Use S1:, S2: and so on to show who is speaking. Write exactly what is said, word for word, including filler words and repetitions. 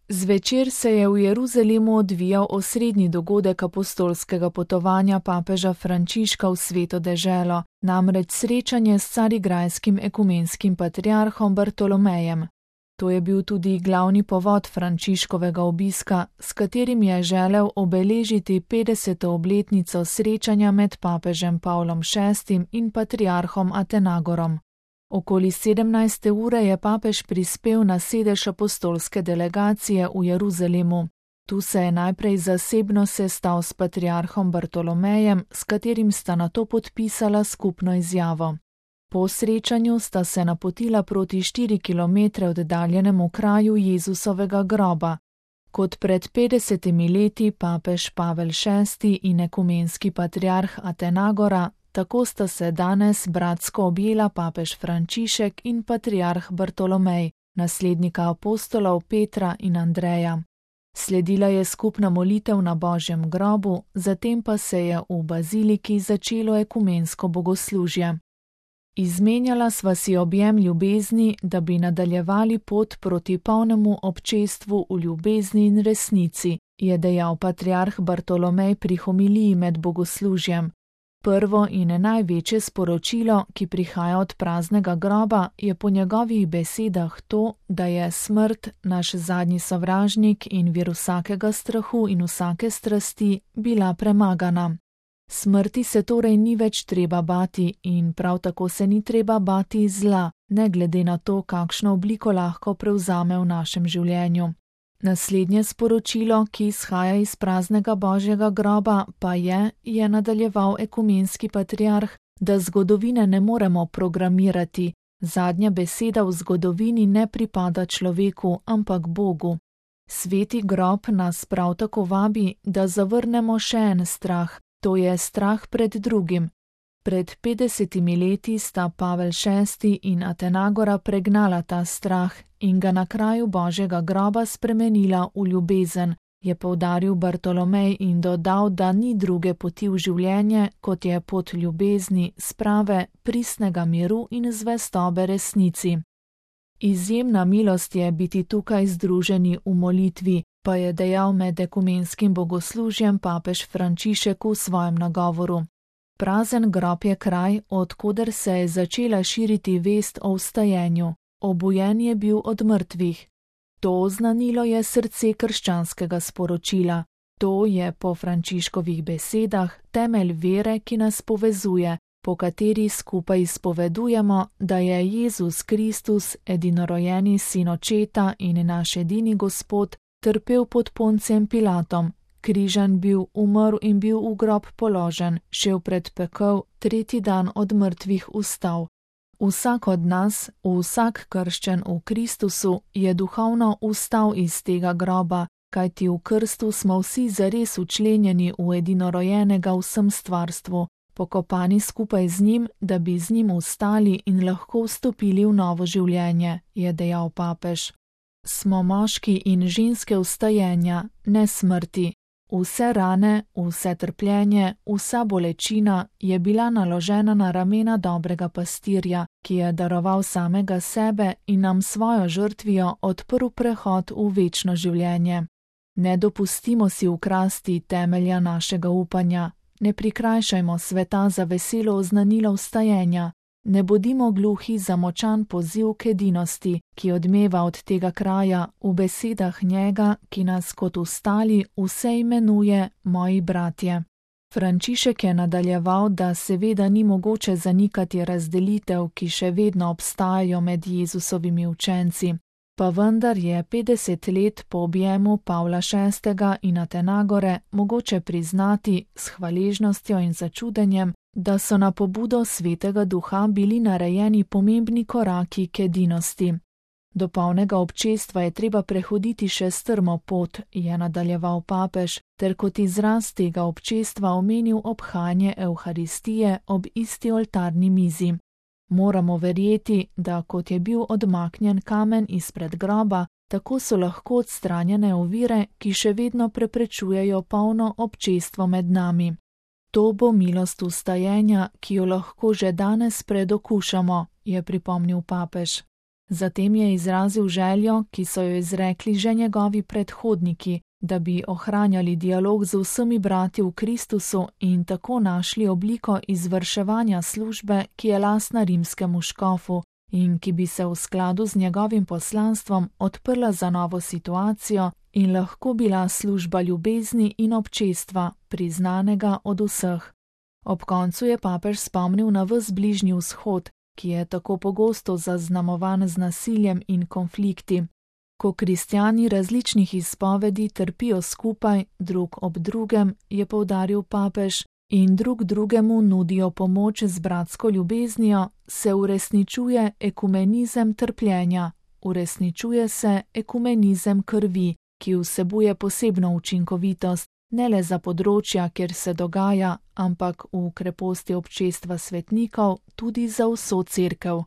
S1: Zvečer se je v Jeruzalemu odvijal osrednji dogodek apostolskega potovanja papeža Frančiška v Sveto deželo, namreč srečanje s carigrajskim ekumenskim patriarhom Bartolomejem. To je bil tudi glavni povod Frančiškovega obiska, s katerim je želel obeležiti petdeseto obletnico srečanja med papežem Pavlom šestim in patriarhom Atenagorom. Okoli sedemnajste ure je papež prispel na sedež apostolske delegacije v Jeruzalemu. Tu se je najprej zasebno sestal s patriarhom Bartolomejem, s katerim sta nato podpisala skupno izjavo. Po srečanju sta se napotila proti štiri kilometre oddaljenemu kraju Jezusovega groba. Kot pred petdesetimi leti papež Pavel šesti in ekumenski patriarh Atenagora, tako sta se danes bratsko objela papež Frančišek in patriarh Bartolomej, naslednika apostolov Petra in Andreja. Sledila je skupna molitev na Božjem grobu, zatem pa se je v baziliki začelo ekumensko bogoslužje. Izmenjala sva si objem ljubezni, da bi nadaljevali pot proti polnemu občestvu v ljubezni in resnici, je dejal patriarh Bartolomej pri homiliji med bogoslužjem. Prvo in največje sporočilo, ki prihaja od praznega groba, je po njegovih besedah to, da je smrt naš zadnji sovražnik in vir vsakega strahu in vsake strasti bila premagana. Smrti se torej ni več treba bati in prav tako se ni treba bati zla, ne glede na to, kakšno obliko lahko prevzame v našem življenju. Naslednje sporočilo, ki izhaja iz praznega Božjega groba, pa je, je nadaljeval ekumenski patriarh, da zgodovine ne moremo programirati. Zadnja beseda v zgodovini ne pripada človeku, ampak Bogu. Sveti grob nas prav tako vabi, da zavrnemo še en strah, to je strah pred drugim. Pred petdesetimi leti sta Pavel šesti in Atenagora pregnala ta strah in ga na kraju Božjega groba spremenila v ljubezen, je poudaril Bartolomej in dodal, da ni druge poti v življenje, kot je pot ljubezni, sprave, pristnega miru in zvestobe resnici. Izjemna milost je biti tukaj združeni v molitvi, pa je dejal med ekumenskim bogoslužjem papež Frančišek v svojem nagovoru. Prazen grob je kraj, od koder se je začela širiti vest o vstajenju. Obujen je bil od mrtvih. To oznanilo je srce krščanskega sporočila. To je po Frančiškovih besedah temelj vere, ki nas povezuje, po kateri skupaj izpovedujemo, da je Jezus Kristus, edinorojeni sin Očeta in naš edini Gospod, trpel pod Poncijem Pilatom, križan bil, umrl in bil v grob položen, šel pred pekel, tretji dan od mrtvih vstal. Vsak od nas, vsak krščen v Kristusu, je duhovno vstal iz tega groba, kajti v krstu smo vsi zares včlenjeni v edinorojenega v vsem stvarstvu, pokopani skupaj z njim, da bi z njim vstali in lahko vstopili v novo življenje, je dejal papež. Smo moški in ženske vstajenja, ne smrti. Vse rane, vse trpljenje, vsa bolečina je bila naložena na ramena dobrega pastirja, ki je daroval samega sebe in nam svojo žrtvijo odprl prehod v večno življenje. Ne dopustimo si ukrasti temelja našega upanja, ne prikrajšajmo sveta za veselo oznanilo vstajenja, ne bodimo gluhi za močan poziv k edinosti, ki odmeva od tega kraja v besedah njega, ki nas kot vstali vse imenuje moji bratje. Frančišek je nadaljeval, da seveda ni mogoče zanikati razdelitev, ki še vedno obstajajo med Jezusovimi učenci, pa vendar je petdeset let po objemu Pavla šestega in Atenagore mogoče priznati s hvaležnostjo in začudenjem, da so na pobudo Svetega Duha bili narejeni pomembni koraki k edinosti. Do polnega občestva je treba prehoditi še strmo pot, je nadaljeval papež, ter kot izraz tega občestva omenil obhajanje Evharistije ob isti oltarni mizi. Moramo verjeti, da kot je bil odmaknjen kamen izpred groba, tako so lahko odstranjene ovire, ki še vedno preprečujejo polno občestvo med nami. To bo milost vstajenja, ki jo lahko že danes predokušamo, je pripomnil papež. Zatem je izrazil željo, ki so jo izrekli že njegovi predhodniki, da bi ohranjali dialog z vsemi brati v Kristusu in tako našli obliko izvrševanja službe, ki je lastna rimskemu škofu in ki bi se v skladu z njegovim poslanstvom odprla za novo situacijo in lahko bila služba ljubezni in občestva, priznanega od vseh. Ob koncu je papež spomnil na ves Bližnji vzhod, ki je tako pogosto zaznamovan z nasiljem in konflikti. Ko kristjani različnih izpovedi trpijo skupaj, drug ob drugem, je poudaril papež, in drug drugemu nudijo pomoč z bratsko ljubeznijo, se uresničuje ekumenizem trpljenja, uresničuje se ekumenizem krvi, ki vsebuje posebno učinkovitost, ne le za področja, kjer se dogaja, ampak v kreposti občestva svetnikov tudi za vso cerkev.